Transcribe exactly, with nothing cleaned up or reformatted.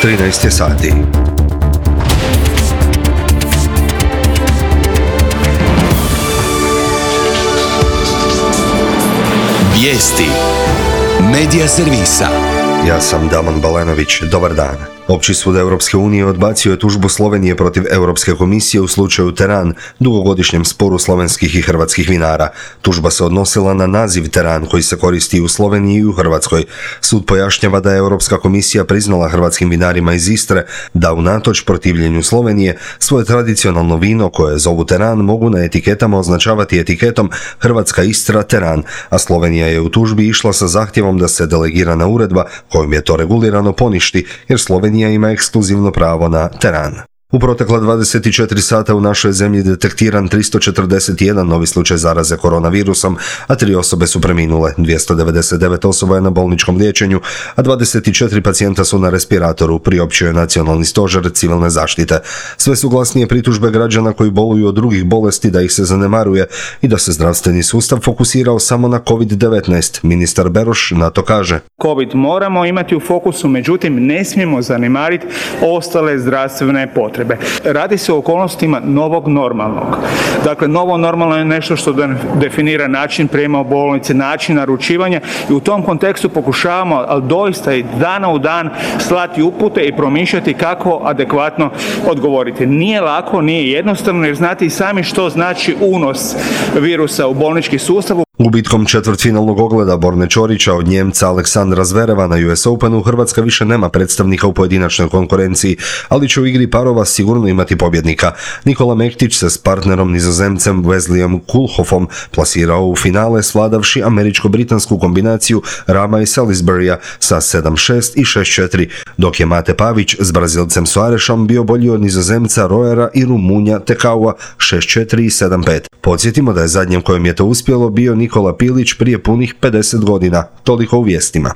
trinaest je sati. Vijesti Medija servisa. Ja sam Damon Balenović, dobar dan. Opći sud Europske unije odbacio je tužbu Slovenije protiv Europske komisije u slučaju Teran, dugogodišnjem sporu slovenskih i hrvatskih vinara. Tužba se odnosila na naziv Teran koji se koristi u Sloveniji i u Hrvatskoj. Sud pojašnjava da je Europska komisija priznala hrvatskim vinarima iz Istre da unatoč protivljenju Slovenije svoje tradicionalno vino koje zovu Teran mogu na etiketama označavati etiketom Hrvatska Istra Teran, a Slovenija je u tužbi išla sa zahtjevom da se delegirana uredba kojom je to regulirano poništi, jer Slovenija ima ekskluzivno pravo na Teran. U protekla dvadeset četiri sata u našoj zemlji detektiran tristo četrdeset jedan novi slučaj zaraze koronavirusom, a tri osobe su preminule, dvjesto devedeset devet osoba je na bolničkom liječenju, a dvadeset četiri pacijenta su na respiratoru, priopćio je Nacionalni stožer civilne zaštite. Sve su glasnije pritužbe građana koji boluju od drugih bolesti da ih se zanemaruje i da se zdravstveni sustav fokusirao samo na kovid devetnaest. Ministar Beroš na to kaže: Covid moramo imati u fokusu, međutim ne smijemo zanemariti ostale zdravstvene potrebe. Radi se o okolnostima novog normalnog. Dakle, novo normalno je nešto što definira način prijema u bolnice, način naručivanja i u tom kontekstu pokušavamo, ali doista i dana u dan slati upute i promišljati kako adekvatno odgovoriti. Nije lako, nije jednostavno, jer znate i sami što znači unos virusa u bolnički sustav. Gubitkom četvrtfinalnog ogleda Borne Ćorića od Njemca Aleksandra Zvereva na U S Openu Hrvatska više nema predstavnika u pojedinačnoj konkurenciji, ali će u igri parova sigurno imati pobjednika. Nikola Mektić se s partnerom Nizozemcem Wesleyem Koolhoffom plasirao u finale svladavši američko-britansku kombinaciju Rama i Salisburya sa sedam šest i šest četiri, dok je Mate Pavić s Brazilcem Soarešom bio bolji od Nizozemca Roera i Rumunja Tekaua šest četiri i sedam pet. Podsjetimo da je zadnjem kojem je to uspjelo bio Nikola Pilić prije punih pedeset godina. Toliko u vijestima.